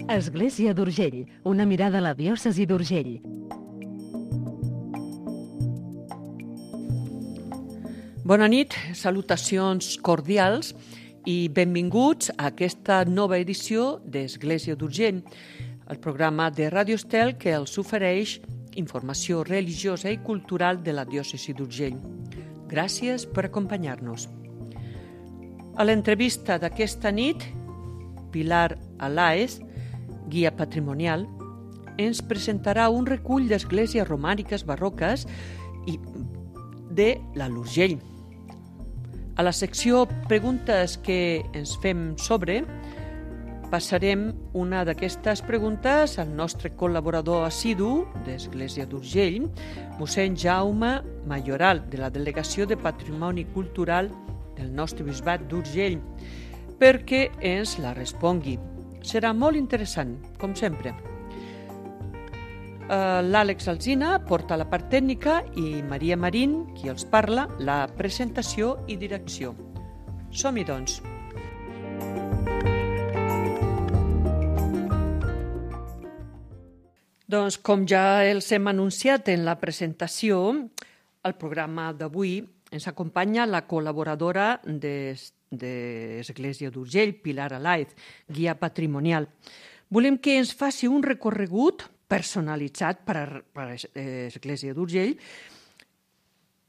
Església d'Urgell, una mirada a la diòcesi d'Urgell. Bona nit, salutacions cordials i benvinguts a aquesta nova edició d'Església d'Urgell, el programa de Ràdio Estel que els ofereix informació religiosa i cultural de la diòcesi d'Urgell. Gràcies per acompanyar-nos. A l'entrevista d'aquesta nit, Pilar Alaez, guia patrimonial, ens presentarà un recull d'esglésies romàniques barroques i de l'Alt Urgell. A la secció Preguntes que ens fem sobre, passarem una d'aquestes preguntes al nostre col·laborador assidu d'Església d'Urgell, mossèn Jaume Mayoral, de la Delegació de Patrimoni Cultural del nostre bisbat d'Urgell, perquè ens la respongui. Serà molt interessant, com sempre. L'Àlex Alsina porta la part tècnica i Maria Marín, qui els parla, la presentació i direcció. Som-hi, doncs. Doncs, com ja els hem anunciat en la presentació, al programa d'avui ens acompanya la col·laboradora d'Església d'Urgell, Pilar Alaez, guia patrimonial. Volem que ens faci un recorregut personalitzat per a l'Església d'Urgell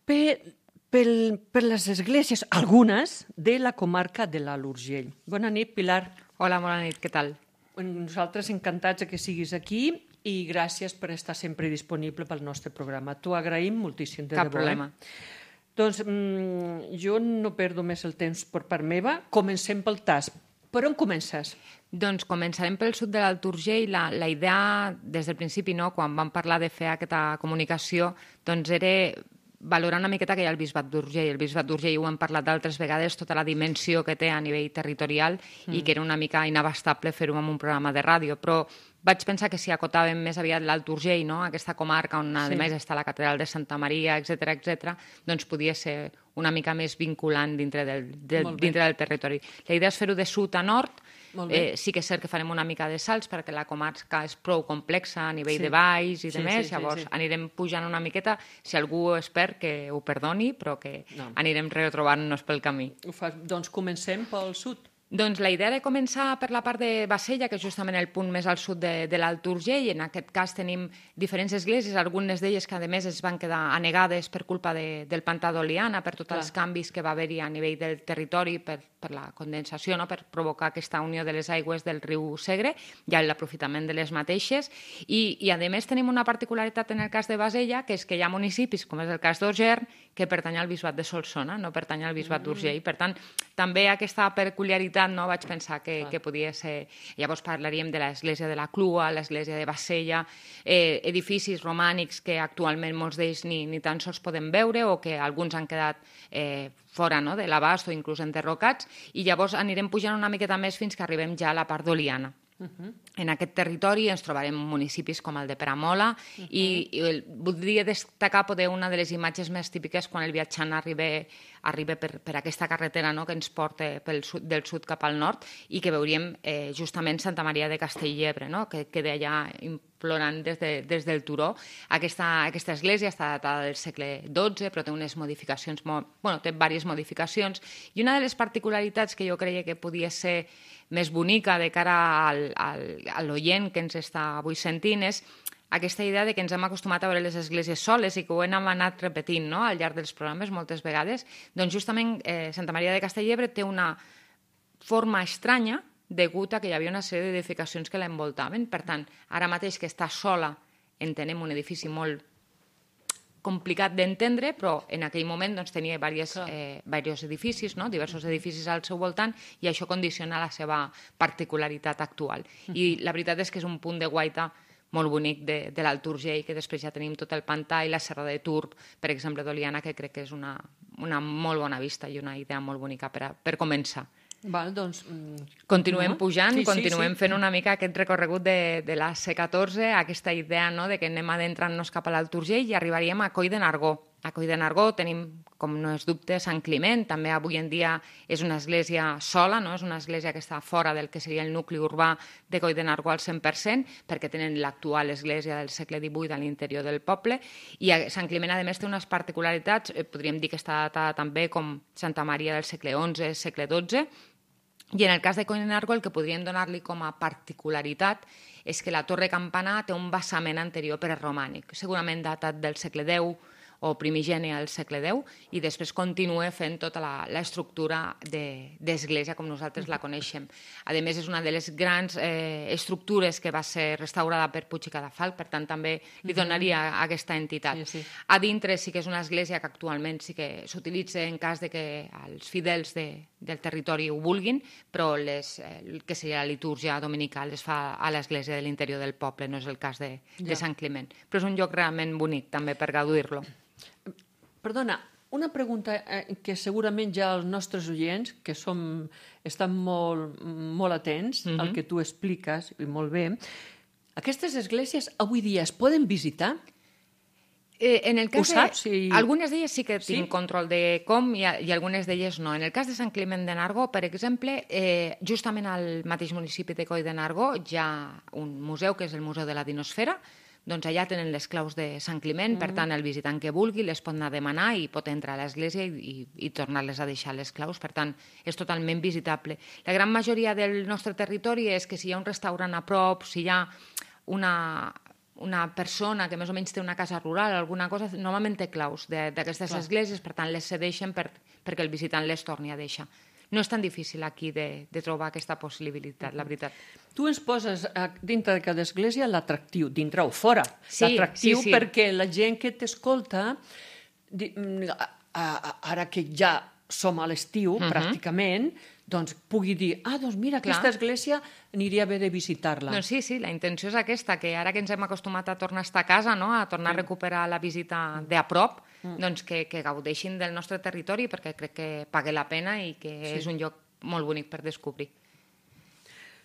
per les esglésies, algunes, de la comarca de l'Alt Urgell. Bona nit, Pilar. Hola, bona nit, què tal? Nosaltres encantats que siguis aquí i gràcies per estar sempre disponible pel nostre programa. T'ho agraïm moltíssim, de debò. Cap problema. Doncs jo no perdo més el temps per part meva. Comencem pel tas. Per on comences? Doncs començarem pel sud de l'Alt Urgell. La idea, des del principi, no, quan vam parlar de fer aquesta comunicació, doncs era valorar una miqueta que hi ha el bisbat d'Urgell. El bisbat d'Urgell, ho hem parlat d'altres vegades, tota la dimensió que té a nivell territorial i que era una mica inabastable fer-ho amb un programa de ràdio, però vaig pensar que si acotàvem més aviat l'Alt Urgell, no? Aquesta comarca on a més està la catedral de Santa Maria, etc, doncs podia ser una mica més vinculant dintre del territori. La idea és fer-ho de sud a nord. Sí que és cert que farem una mica de salts perquè la comarca és prou complexa a nivell de valls i de més, llavors anirem pujant una miqueta. Si algú és expert, que ho perdoni, però que anirem retrobant-nos pel camí. Doncs comencem pel sud. Doncs la idea era començar per la part de Bassella, que és justament el punt més al sud de l'Alt Urgell. En aquest cas tenim diferents esglésies, algunes d'elles que a més es van quedar anegades per culpa del pantà d'Oliana, per tots els canvis que va haver-hi a nivell del territori, per la condensació, no? Per provocar aquesta unió de les aigües del riu Segre i l'aprofitament de les mateixes. I a més tenim una particularitat en el cas de Bassella, que és que hi ha municipis, com és el cas d'Ogern, que pertany al bisbat de Solsona, no pertany al bisbat d'Urgell. Per tant, també aquesta peculiaritat, no, vaig pensar que podia ser. Llavors parlaríem de l'església de la Clua, l'església de Bassella, edificis romànics que actualment molts d'ells ni tan sols podem veure o que alguns han quedat fora, no, de l'abast o inclús enderrocats, i llavors anirem pujant una miqueta més fins que arribem ja a la part d'Oliana. En aquest territori ens trobarem municipis com el de Peramola i voldria destacar poder una de les imatges més típiques quan el viatjant arriba per aquesta carretera, no, que ens porta del sud cap al nord i que veuríem justament Santa Maria de Castellebre, no, que queda allà implorant des del turó. Aquesta església està datada del segle XII, però té unes modificacions, té diverses modificacions, i una de les particularitats que jo creia que podia ser més bonica de cara a l'oient que ens està avui sentint és aquesta idea de que ens hem acostumat a veure les esglésies soles i que ho hem anat repetint, no, al llarg dels programes moltes vegades. Doncs justament Santa Maria de Castellebre té una forma estranya degut a que hi havia una sèrie d'edificacions que l'envoltaven. Per tant, ara mateix que està sola entenem un edifici molt complicat d'entendre, però en aquell moment doncs, tenia diversos edificis, no? Diversos edificis al seu voltant, i això condiciona la seva particularitat actual. I la veritat és que és un punt de guaita molt bonic de l'Alt Urgell, que després ja tenim tot el pantà i la serra de Turb, per exemple, d'Oliana, que crec que és una molt bona vista i una idea molt bonica per començar. Val, doncs... Continuem pujant, continuem fent una mica aquest recorregut de la C14, aquesta idea, no?, de que anem adentrant-nos cap a l'Alt Urgell i arribaríem a Coll de Nargó. A Coll de Nargó tenim, com no és dubte, Sant Climent. També avui en dia és una església sola, no? És una església que està fora del que seria el nucli urbà de Coll de Nargó al 100%, perquè tenen l'actual església del segle XVIII a l'interior del poble. I Sant Climent, a més, té unes particularitats, podríem dir que està datada també com Santa Maria del segle XI, segle XII, i en el cas de Coll de Nargó el que podríem donar-li com a particularitat és que la torre campanar té un basament anterior preromànic, segurament datat del segle X o primigeni al segle X, i després continua fent tota l'estructura d'església com nosaltres la coneixem. A més, és una de les grans estructures que va ser restaurada per Puig i Cadafalch, per tant, també li donaria aquesta entitat. Sí. A dintre sí que és una església que actualment sí que s'utilitza en cas de que els fidels del territori ho vulguin, però el que seria la litúrgia dominical es fa a l'església de l'interior del poble, no és el cas de Sant Climent. Però és un lloc realment bonic també per gaudir-lo. Perdona, una pregunta que segurament ja els nostres oients, que estan molt atents al que tu expliques, i molt bé, aquestes esglésies avui dia es poden visitar? En el cas Ho saps? Algunes d'elles sí que tinc control de com i algunes d'elles no. En el cas de Sant Climent de Nargó, per exemple, justament al mateix municipi de Coll de Nargó hi ha un museu que és el Museu de la Dinosfera. Doncs allà tenen les claus de Sant Climent, per tant, el visitant que vulgui les pot anar a demanar i pot entrar a l'església i tornar-les a deixar les claus. Per tant, és totalment visitable. La gran majoria del nostre territori és que si hi ha un restaurant a prop, si hi ha una persona que més o menys té una casa rural, alguna cosa, normalment té claus d'aquestes esglésies, per tant, les cedeixen perquè el visitant les torni a deixar. No és tan difícil aquí de trobar aquesta possibilitat, la veritat. Tu ens poses dintre de cada església l'atractiu, dintre o fora. Sí, l'atractiu sí. perquè la gent que t'escolta, ara que ja som a l'estiu, pràcticament, doncs pugui dir, doncs mira, aquesta església aniria bé de visitar-la. Doncs sí, la intenció és aquesta, que ara que ens hem acostumat a tornar a estar a casa, no? A tornar a recuperar la visita de a prop, doncs que gaudeixin del nostre territori, perquè crec que paga la pena i que és un lloc molt bonic per descobrir.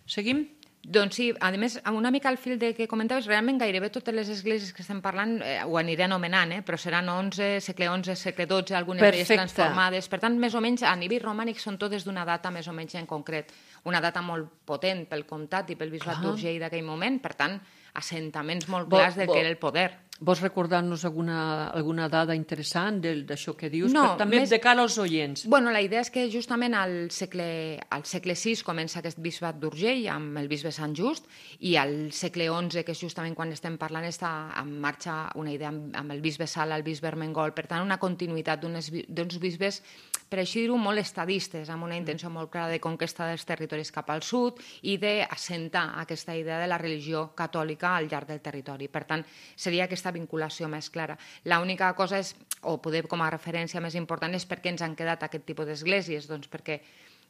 Seguim? Doncs sí, a més, una mica al fil de que comentaves, realment gairebé totes les esglésies que estem parlant ho aniré anomenant, però seran segle XI, segle XII, algunes d'elles transformades. Per tant, més o menys, a nivell romànic són totes d'una data més o menys en concret. Una data molt potent pel comtat i pel bisbat d'Urgell d'aquell moment, per tant, assentaments molt clars del que era el poder. Vols recordar-nos alguna dada interessant d'això que dius? No, també de cara als oients. Bueno, la idea és que justament al segle VI comença aquest bisbat d'Urgell amb el bisbe Sant Just, i al segle XI, que és justament quan estem parlant, està en marxa una idea amb el bisbe Sala, el bisbe Ermengol, per tant, una continuïtat d'uns bisbes, per així dir-ho, molt estadistes, amb una intenció molt clara de conquesta dels territoris cap al sud i d'assentar aquesta idea de la religió catòlica al llarg del territori. Per tant, seria aquesta vinculació més clara. L'única cosa és, o poder com a referència més important, és per què ens han quedat aquest tipus d'esglésies? Doncs perquè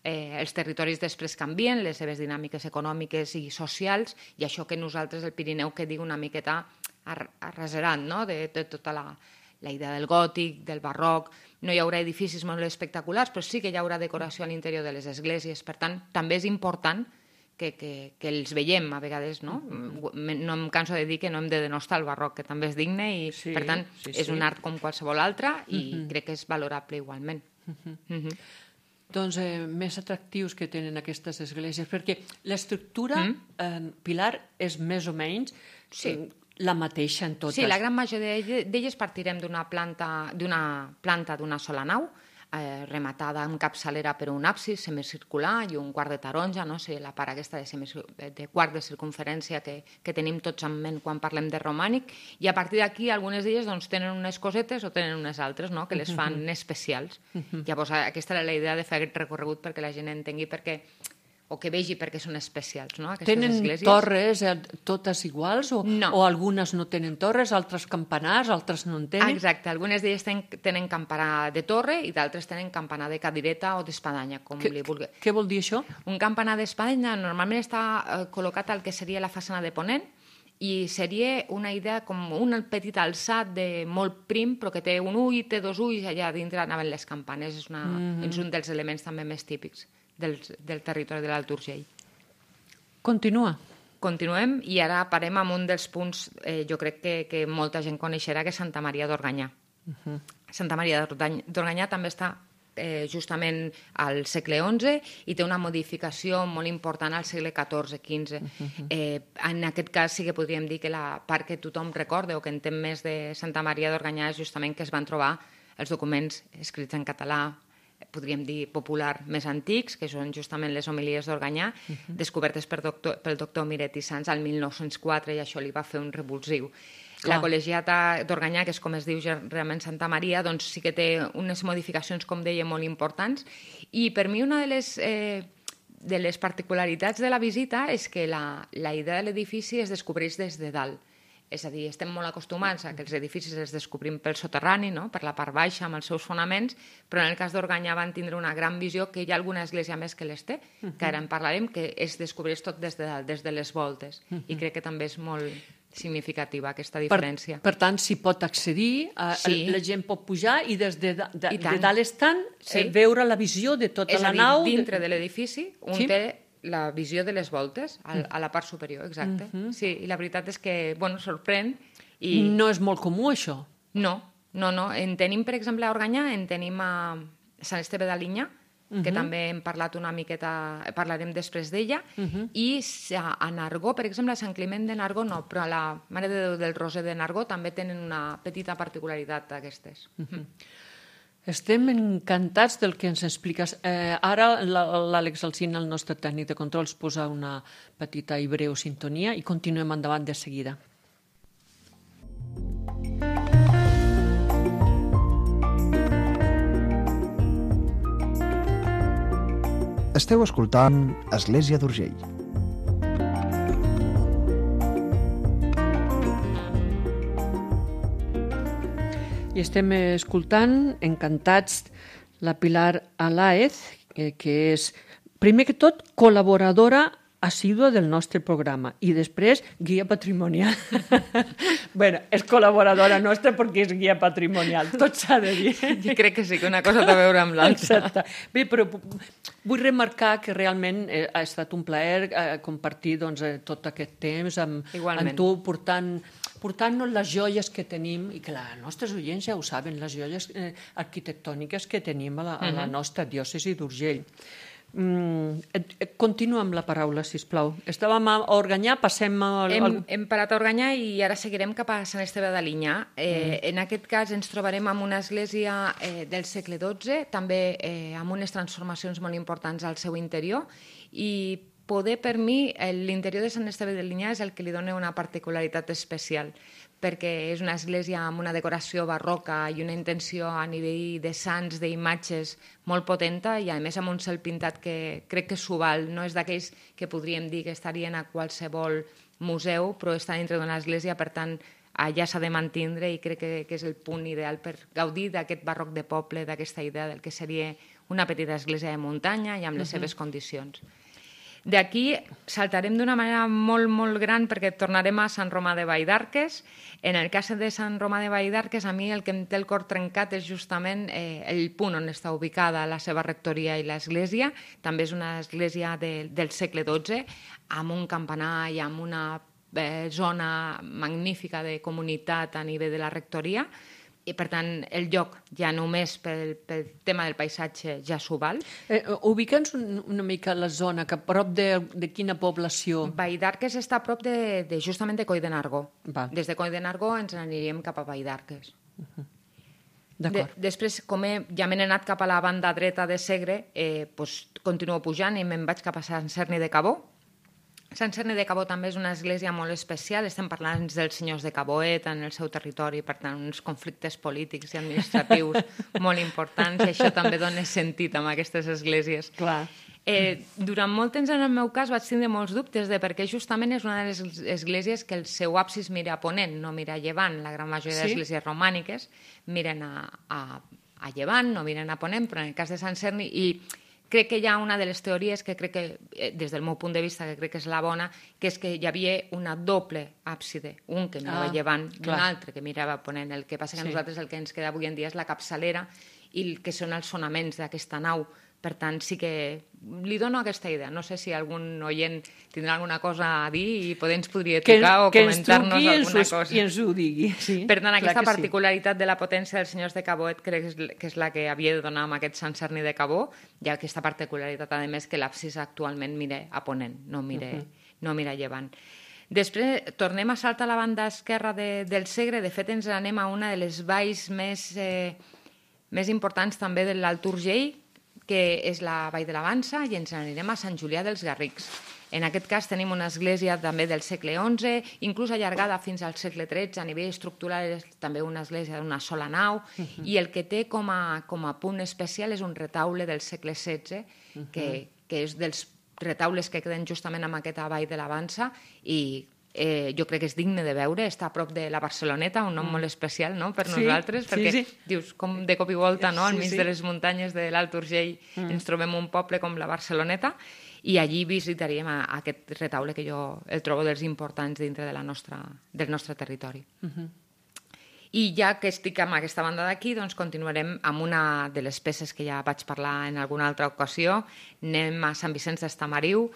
els territoris després canvien, les seves dinàmiques econòmiques i socials, i això que nosaltres, el Pirineu, que diu una miqueta arraserant, no? De tota la idea del gòtic, del barroc. No hi haurà edificis molt espectaculars, però sí que hi haurà decoració a l'interior de les esglésies. Per tant, també és important que els veiem a vegades, no? No em canso de dir que no hem de denostar el barroc, que també és digne i, per tant, és un art com qualsevol altre i crec que és valorable igualment. Doncs més atractius que tenen aquestes esglésies, perquè l'estructura, Pilar, és més o menys la mateixa en totes. Sí, la gran majoria d'elles partirem d'una planta d'una sola nau, rematada amb capçalera per un absis semicircular i un quart de taronja, no? La part aquesta de quart de circunferència que tenim tots en ment quan parlem de romànic, i a partir d'aquí algunes d'elles doncs, tenen unes cosetes o tenen unes altres, no? Que les fan especials. Llavors aquesta era la idea de fer aquest recorregut perquè la gent entengui o que vegi perquè són especials, no? Tenen torres totes iguals? No. O algunes no tenen torres, altres campanars, altres no en tenen? Exacte, algunes d'elles tenen campanar de torre i d'altres tenen campanar de cadireta o d'espadanya, com li vulgui. Què vol dir això? Un campanar d'espadanya normalment està col·locat al que seria la façana de ponent, i seria una idea com un petit alçat de molt prim, però que té un ull, té dos ulls, allà dintre anaven les campanes. És un dels elements també més típics del territori de l'Alt Urgell. Continua. Continuem i ara parem amb un dels punts, jo crec que molta gent coneixerà, que és Santa Maria d'Organyà. Santa Maria d'Organyà també està justament al segle XI i té una modificació molt important al segle XIV-XV. En aquest cas sí que podríem dir que la part que tothom recorda o que entén més de Santa Maria d'Organyà és justament que es van trobar els documents escrits en català, podríem dir popular, més antics, que són justament les homilies d'Organyà, descobertes pel doctor Miret i Sans al 1904, i això li va fer un revulsiu. La col·legiata d'Organyà, que és com es diu realment Santa Maria, doncs sí que té unes modificacions, com deia, molt importants. I per mi una de les particularitats de la visita és que la idea de l'edifici es descobreix des de dalt. És a dir, estem molt acostumats a que els edificis es descobrim pel soterrani, no? Per la part baixa, amb els seus fonaments, però en el cas d'Organyà van tindre una gran visió, que hi ha alguna església més que les té, que ara en parlarem, que es descobreix tot des de dalt, des de les voltes. I crec que també és molt significativa aquesta diferència. Per tant, s'hi pot accedir, la gent pot pujar i des de dalt estant veure la visió de tota la nau. És a dir, dintre de l'edifici, un té la visió de les voltes a la part superior, exacte. Sí, i la veritat és que, sorprèn. No és molt comú, això? No. En tenim, per exemple, a Organyà, en tenim a Sant Esteve d'Alinyà, que també hem parlat una miqueta, parlarem després d'ella, i a Nargó, per exemple, a Sant Climent de Nargó no, però a la Mare de Déu del Roser de Nargó també tenen una petita particularitat d'aquestes. Estem encantats del que ens expliques. Ara l'Àlex Alsina, el nostre tècnic de control, ens posa una petita i breu sintonia i continuem endavant de seguida. Esteu escoltant Església d'Urgell. I estem escoltant, encantats, la Pilar Alaez, que és, primer que tot, col·laboradora assídua del nostre programa i després guia patrimonial. Bueno, és col·laboradora nostra perquè és guia patrimonial, tot s'ha de dir. Jo crec que sí, que una cosa té a veure amb l'altra. Exacte. Bé, però vull remarcar que realment ha estat un plaer compartir tot aquest temps amb tu, portant-nos les joies que tenim, i que els nostres oients ja ho saben, les joies arquitectòniques que tenim a la nostra diòcesi d'Urgell. Continua amb la paraula, sisplau. Estàvem a Organyà, passem a... Hem parat a Organyà i ara seguirem cap a Sant Esteve d'Alinyà. En aquest cas ens trobarem amb una església del segle XII, també amb unes transformacions molt importants al seu interior, i per mi, l'interior de Sant Esteve d'Alinyà és el que li dona una particularitat especial, perquè és una església amb una decoració barroca i una intenció a nivell de sants, d'imatges molt potenta, i a més amb un cel pintat que crec que s'ho val. No és d'aquells que podríem dir que estarien a qualsevol museu, però està dintre d'una església, per tant, allà s'ha de mantindre, i crec que és el punt ideal per gaudir d'aquest barroc de poble, d'aquesta idea del que seria una petita església de muntanya i amb les seves condicions. D'aquí saltarem d'una manera molt, molt gran perquè tornarem a Sant Romà de Valldarques. En el cas de Sant Romà de Valldarques, a mi el que em té el cor trencat és justament el punt on està ubicada la seva rectoria i l'església. També és una església del segle XII, amb un campanar i amb una zona magnífica de comunitat a nivell de la rectoria. I, per tant, el lloc ja només pel tema del paisatge ja s'ho val. Ubica'ns una mica la zona, que a prop de quina població? Valldarques està a prop justament de Coll de Nargó. Des de Coll de Nargó ens aniríem cap a Valldarques. D'acord. Després, com ja m'he anat cap a la banda dreta de Segre, continuo pujant i me'n vaig cap a Sant Cerni de Cabó. Sant Cerni de Cabó també és una església molt especial. Estem parlant dels senyors de Caboet en el seu territori, per tant, uns conflictes polítics i administratius molt importants, i això també dona sentit amb aquestes esglésies. Clar. Durant molt temps, en el meu cas, vaig tindre molts dubtes de perquè justament és una de les esglésies que el seu absis mira a ponent, no mira a llevant. La gran majoria d'esglésies romàniques miren a llevant, no miren a ponent, però en el cas de Sant Cerni... I crec que hi ha una de les teories que crec que, des del meu punt de vista, que crec que és la bona, que és que hi havia una doble àpside, un que mirava llevant i un altre que mirava ponent. El que passa que a nosaltres el que ens queda avui en dia és la capçalera i el que són els fonaments d'aquesta nau, Per tant, sí que li dono aquesta idea. No sé si algun oient tindrà alguna cosa a dir i ens podria trucar o comentar-nos alguna cosa. I ens ho digui. Sí, per tant, aquesta particularitat de la potència dels senyors de Cabó crec que és la que havia de donar amb aquest Sant Cerni de Cabó, i aquesta particularitat, a més, que l'absis actualment mira a ponent, no mira a llevant. Després tornem a saltar a la banda esquerra del Segre. De fet, ens anem a una de les valls més importants també de l'Alt Urgell, que és la Vall de la Vansa, i ens anirem a Sant Julià dels Garrics. En aquest cas tenim una església també del segle XI, inclús allargada fins al segle XIII. A nivell estructural és també una església d'una sola nau, i el que té com a punt especial és un retaule del segle XVI, que és dels retaules que queden justament amb aquesta Vall de la Vansa, i jo crec que és digne de veure. Està a prop de la Barceloneta, un nom molt especial, no?, per nosaltres, perquè dius, com de cop i volta, no?, al mig de les muntanyes de l'Alt Urgell ens trobem un poble com la Barceloneta, i allí visitaríem aquest retaule que jo el trobo dels importants dintre del nostre territori. I ja que estic amb aquesta banda d'aquí, doncs continuarem amb una de les peces que ja vaig parlar en alguna altra ocasió. Anem a Sant Vicenç d'Estamariu,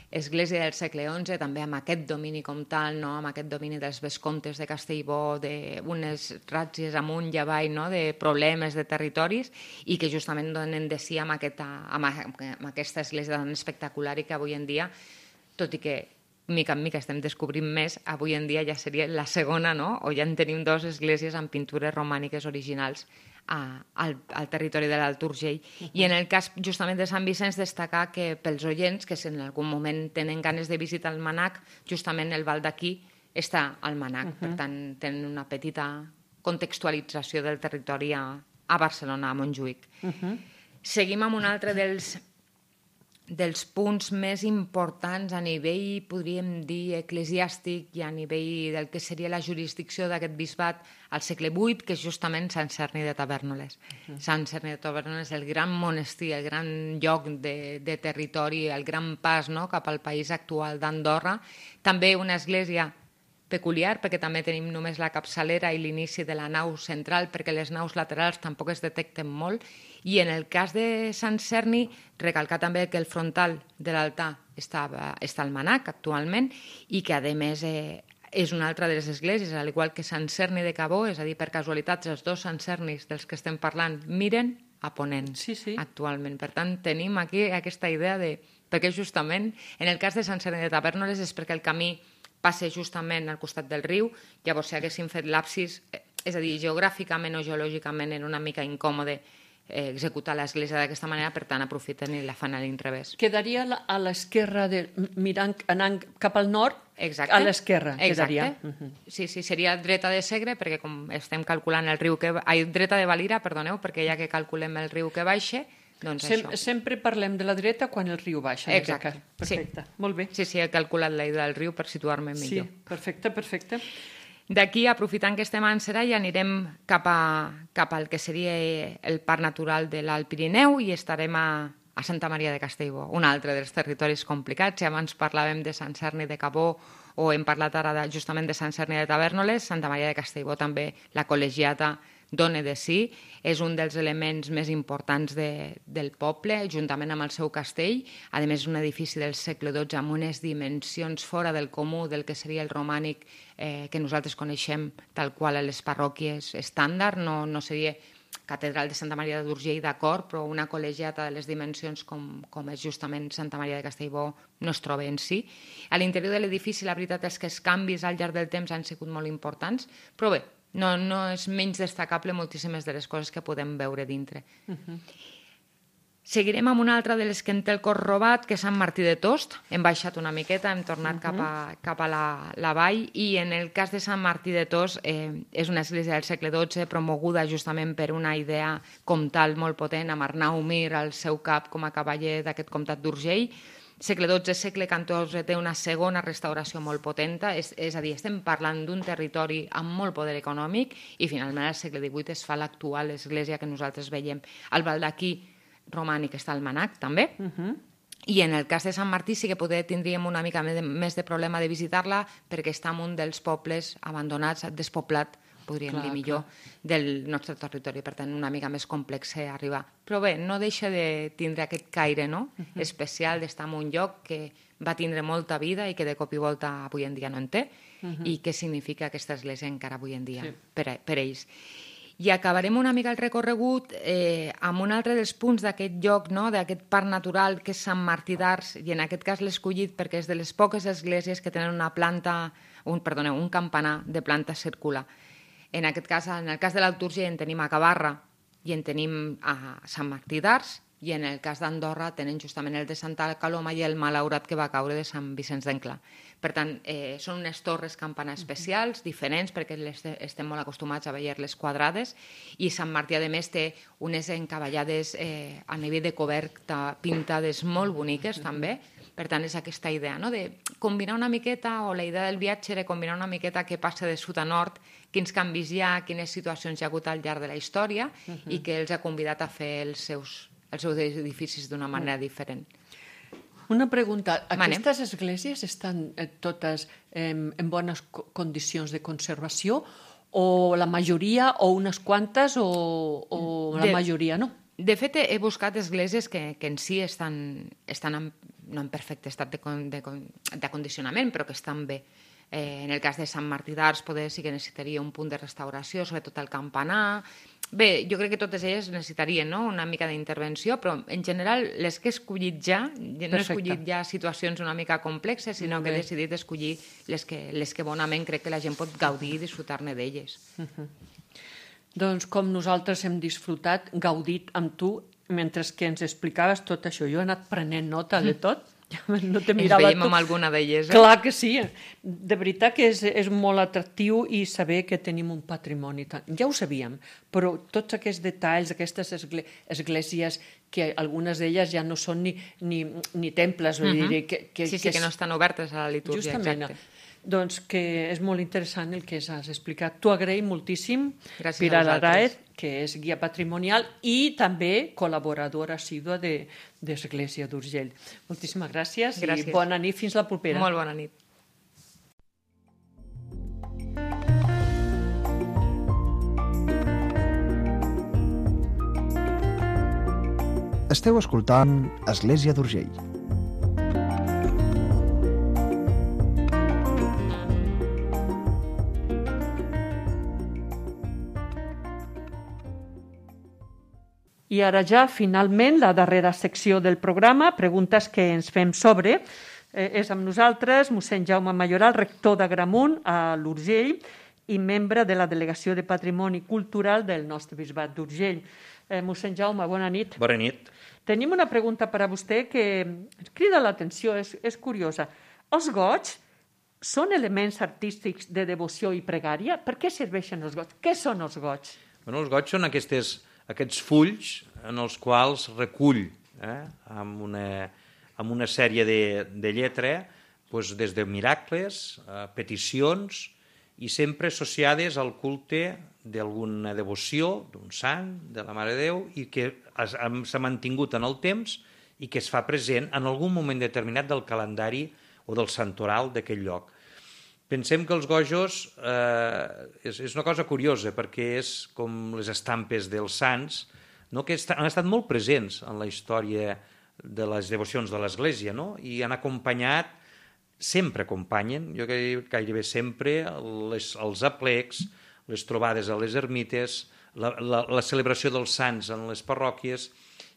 església del segle XI, també amb aquest domini com tal, no?, amb aquest domini dels vescomtes de Castellbó, d'unes ràtzies amunt i avall, no?, de problemes de territoris, i que justament donen de si amb aquesta església tan espectacular, i que avui en dia, tot i que mica en mica estem descobrint més, avui en dia ja seria la segona, no?, o ja en tenim dues esglésies amb pintures romàniques originals al territori de l'Alt Urgell. I en el cas justament de Sant Vicenç, destacar que pels oients que si en algun moment tenen ganes de visitar el Manac, justament el Val d'Aquí està al Manac. Per tant, tenen una petita contextualització del territori a Barcelona, a Montjuïc. Seguim amb un altre dels punts més importants a nivell, podríem dir, eclesiàstic, i a nivell del que seria la jurisdicció d'aquest bisbat al segle VIII, que és justament Sant Cerni de Tavèrnoles. Sant Cerni de Tavèrnoles, el gran monestir, el gran lloc de territori, el gran pas, no?, cap al país actual d'Andorra. També una església peculiar, perquè també tenim només la capçalera i l'inici de la nau central, perquè les naus laterals tampoc es detecten molt. I en el cas de Sant Cerni, recalcar també que el frontal de l'altar està al Manac actualment, i que a més és una altra de les esglésies, al igual que Sant Cerni de Cabó, és a dir, per casualitat, els dos Sant Cernis dels que estem parlant miren a ponent actualment. Per tant, tenim aquí aquesta idea de... Perquè justament, en el cas de Sant Cerni de Tavèrnoles, és perquè el camí passa justament al costat del riu. Llavors, si haguéssim fet l'absis, és a dir, geogràficament o geològicament era una mica incòmode executar l'església d'aquesta manera, per tant aprofiten i la fan a l'inrevés. Quedaria a l'esquerra, anant cap al nord, a l'esquerra quedaria. Sí, seria dreta de Segre, perquè com estem calculant el riu dreta de Valira, perdoneu, perquè ja que calculem el riu que baixa, doncs això. Sempre parlem de la dreta quan el riu baixa. Exacte. Perfecte, molt bé. Sí, he calculat la ida del riu per situar-me millor. Sí, perfecte. D'aquí, aprofitant que estem a Anserai, anirem cap al que seria el Parc Natural de l'Alt Pirineu, i estarem a Santa Maria de Castellbó, un altre dels territoris complicats. Si abans parlàvem de Sant Cerni de Cabó, o hem parlat ara justament de Sant Cerni de Tavèrnoles, Santa Maria de Castellbó també, la col·legiata dona de si, és un dels elements més importants del poble, juntament amb el seu castell. A més, és un edifici del segle XII amb unes dimensions fora del comú del que seria el romànic que nosaltres coneixem tal qual a les parròquies estàndard. No seria catedral de Santa Maria d'Urgell, d'acord, però una col·legiata de les dimensions com és justament Santa Maria de Castellbó no es troba en si. A l'interior de l'edifici, la veritat és que els canvis al llarg del temps han sigut molt importants, però bé, no és menys destacable moltíssimes de les coses que podem veure dintre. Seguirem amb una altra de les que en té el cor robat, que és Sant Martí de Tost. Hem baixat una miqueta, hem tornat cap a la vall, i en el cas de Sant Martí de Tost és una església del segle XII promoguda justament per una idea comtal molt potent, amb Arnau Mir al seu cap com a cavaller d'aquest comtat d'Urgell. Segle XII, segle XIV, té una segona restauració molt potenta, és a dir, estem parlant d'un territori amb molt poder econòmic, i finalment al segle XVIII es fa l'actual església que nosaltres veiem. El Val d'Aquí romànic està al Manac, també, i en el cas de Sant Martí sí que tindríem una mica més de problema de visitar-la, perquè està en un dels pobles abandonats, despoblat, podríem dir millor, del nostre territori. Per tant, una mica més complex arribar. Però bé, no deixa de tindre aquest caire especial d'estar en un lloc que va tindre molta vida i que de cop i volta avui en dia no en té, i què significa aquesta església encara avui en dia per ells. I acabarem una mica el recorregut amb un altre dels punts d'aquest lloc, d'aquest parc natural, que és Sant Martí d'Ars, i en aquest cas l'he escollit perquè és de les poques esglésies que tenen un campanar de planta circular. En el cas de l'Alt Urgell en tenim a Cavarra i en tenim a Sant Martí d'Ars, i en el cas d'Andorra tenen justament el de Santa Coloma i el malaurat que va caure de Sant Vicenç d'Enclà. Per tant, són unes torres campanar especials, diferents, perquè estem molt acostumats a veure-les quadrades, i Sant Martí, a més, té unes encavallades a nivell de coberta pintades molt boniques, també. Per tant, és aquesta idea de combinar una miqueta, o la idea del viatge era combinar una miqueta què passa de sud a nord, quins canvis hi ha, quines situacions hi ha hagut al llarg de la història, i que els ha convidat a fer els seus edificis d'una manera diferent. Una pregunta. Aquestes esglésies estan totes en bones condicions de conservació, o la majoria, o unes quantes, o la majoria no? De fet, he buscat esglésies que en si estan no en perfecte estat d'acondicionament, però que estan bé. En el cas de Sant Martí d'Ars potser sí que necessitaria un punt de restauració, sobretot el campanar. Bé, jo crec que totes elles necessitarien una mica d'intervenció, però en general les que he escollit no he escollit ja situacions una mica complexes, sinó que he decidit escollir les que bonament crec que la gent pot gaudir i disfrutar-ne d'elles. Doncs com nosaltres hem disfrutat, gaudit amb tu, mentre que ens explicaves tot això. Jo he anat prenent nota de tot. No te mirava. Ens veiem amb alguna d'elles. Clar que sí. De veritat que és molt atractiu i saber que tenim un patrimoni. Ja ho sabíem, però tots aquests detalls, aquestes esglésies, que algunes d'elles ja no són ni temples. Sí, que no estan obertes a la litúrgia. Justament. Doncs que és molt interessant el que has explicat. T'ho agraïm moltíssim. Gràcies Pilar a vosaltres. Araez, que és guia patrimonial i també col·laboradora assídua d'Església d'Urgell. Moltíssimes gràcies i bona nit. Fins la propera. Molt bona nit. Esteu escoltant Església d'Urgell. I ara ja, finalment, la darrera secció del programa, preguntes que ens fem sobre. És amb nosaltres mossèn Jaume Mayoral, rector d'Agramunt, a l'Urgell, i membre de la Delegació de Patrimoni Cultural del nostre bisbat d'Urgell. Mossèn Jaume, bona nit. Bona nit. Tenim una pregunta per a vostè que ens crida l'atenció, és curiosa. Els goigs són elements artístics de devoció i pregària? Per què serveixen els goigs? Què són els goigs? Els goigs són aquests fulls en els quals recull amb una sèrie de lletra des de miracles, peticions, i sempre associades al culte d'alguna devoció, d'un sant, de la Mare de Déu, i que s'ha mantingut en el temps i que es fa present en algun moment determinat del calendari o del santoral d'aquell lloc. Pensem que els gojos és una cosa curiosa, perquè és com les estampes dels sants, que han estat molt presents en la història de les devocions de l'Església, i han acompanyat, sempre acompanyen, jo gairebé sempre, els aplecs, les trobades a les ermites, la celebració dels sants en les parròquies,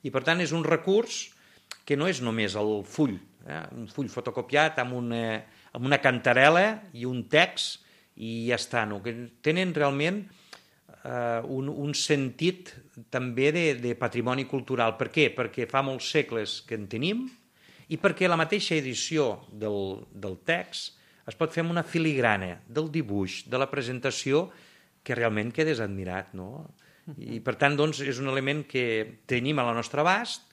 i per tant és un recurs que no és només el full, un full fotocopiat amb una cantarela i un text i ja està, que tenen realment un sentit també de patrimoni cultural. Per què? Perquè fa molts segles que en tenim i perquè la mateixa edició del text es pot fer amb una filigrana del dibuix, de la presentació, que realment quedes admirat, no? I per tant, doncs, és un element que tenim a la nostra abast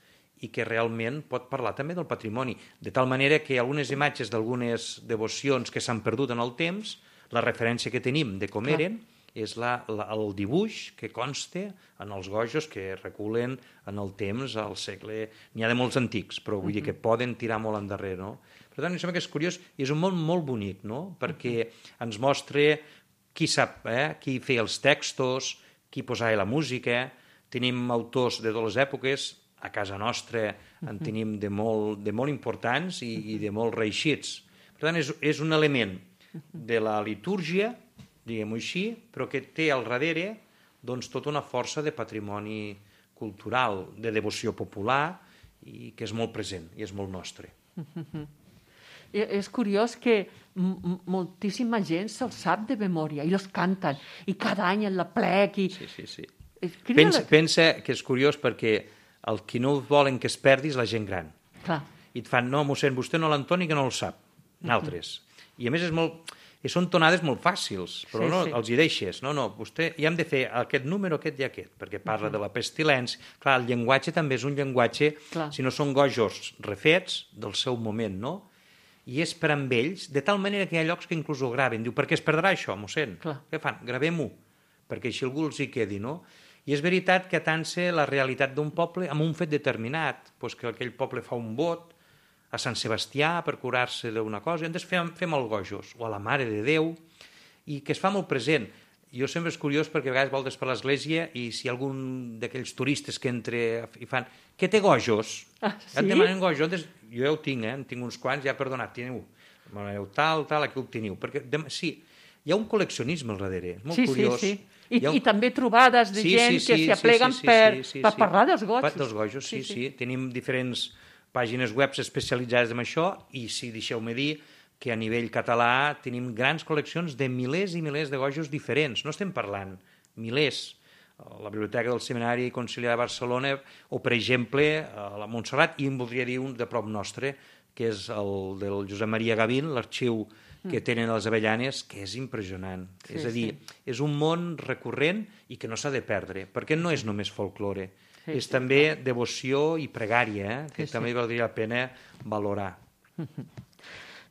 i que realment pot parlar també del patrimoni. De tal manera que algunes imatges d'algunes devocions que s'han perdut en el temps, la referència que tenim de com eren és el dibuix que consta en els gojos que reculen en el temps, al segle... N'hi ha de molts antics, però vull dir que poden tirar molt endarrere, no? Per tant, em sembla que és curiós i és un món molt bonic, no? Perquè ens mostra qui sap, qui feia els textos, qui posava la música. Tenim autors de totes les èpoques, a casa nostra en tenim de molt importants i de molt reeixits. Per tant, és un element de la litúrgia, diguem-ho així, però que té al darrere doncs, tota una força de patrimoni cultural, de devoció popular, i que és molt present i és molt nostre. És curiós que moltíssima gent se'ls sap de memòria i els canten, i cada any en la plec. Sí. Pensa que és curiós perquè el qui no volen que es perdi és la gent gran. Clar. I et fan, no, mossèn, vostè no l'entoni que no el sap. Nosaltres. I a més són tonades molt fàcils, però els hi deixes. No, vostè, ja hem de fer aquest número, aquest i aquest, perquè parla de la pestilència. Clar, el llenguatge també és un llenguatge, si no són gojos refets del seu moment, no? I és per amb ells, de tal manera que hi ha llocs que inclús ho graven. Diu, per què es perdrà això, mossèn? Què fan? Gravem-ho, perquè així algú els hi quedi, no? I és veritat que atansa la realitat d'un poble amb un fet determinat, doncs que aquell poble fa un vot a Sant Sebastià per curar-se d'una cosa, i llavors fem el gojos, o a la Mare de Déu, i que es fa molt present. Jo sempre és curiós perquè a vegades voltes per l'església i si hi ha algun d'aquells turistes que entra i fan, què té gojos? Et demanen gojos. Jo ja ho tinc, en tinc uns quants, ja perdonat, teniu, tal, aquí ho teniu. Perquè, sí, hi ha un col·leccionisme al darrere, és molt curiós. I també trobades de gent que s'hi apleguen per parlar dels gojos. Dels gojos, sí. Tenim diferents pàgines web especialitzades en això i si deixeu-me dir que a nivell català tenim grans col·leccions de milers i milers de gojos diferents. No estem parlant milers. La Biblioteca del Seminari Conciliar de Barcelona o, per exemple, a la Montserrat, i en voldria dir un de prop nostre, que és el del Josep Maria Gavín, l'arxiu que tenen a les Avellanes, que és impressionant. És a dir, és un món recurrent i que no s'ha de perdre, perquè no és només folklore, és també devoció i pregària, que també valdria la pena valorar.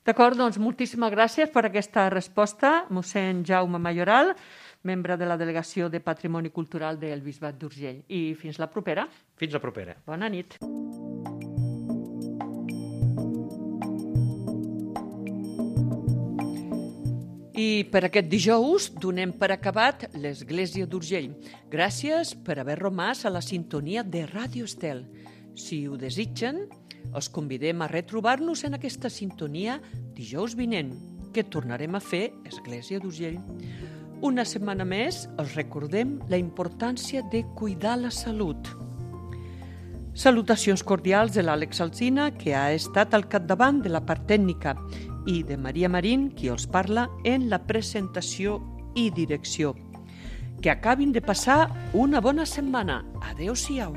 D'acord, doncs moltíssimes gràcies per aquesta resposta, mossèn Jaume Mayoral, membre de la Delegació de Patrimoni Cultural del Bisbat d'Urgell. I fins la propera. Fins la propera. Bona nit. I per aquest dijous donem per acabat l'Església d'Urgell. Gràcies per haver romàs a la sintonia de Ràdio Estel. Si ho desitgen, els convidem a retrobar-nos en aquesta sintonia dijous vinent, que tornarem a fer Església d'Urgell. Una setmana més els recordem la importància de cuidar la salut. Salutacions cordials de l'Àlex Alsina, que ha estat al capdavant de la part tècnica, i de Maria Marín, qui els parla en la presentació i direcció. Que acabin de passar una bona setmana. Adéu-siau.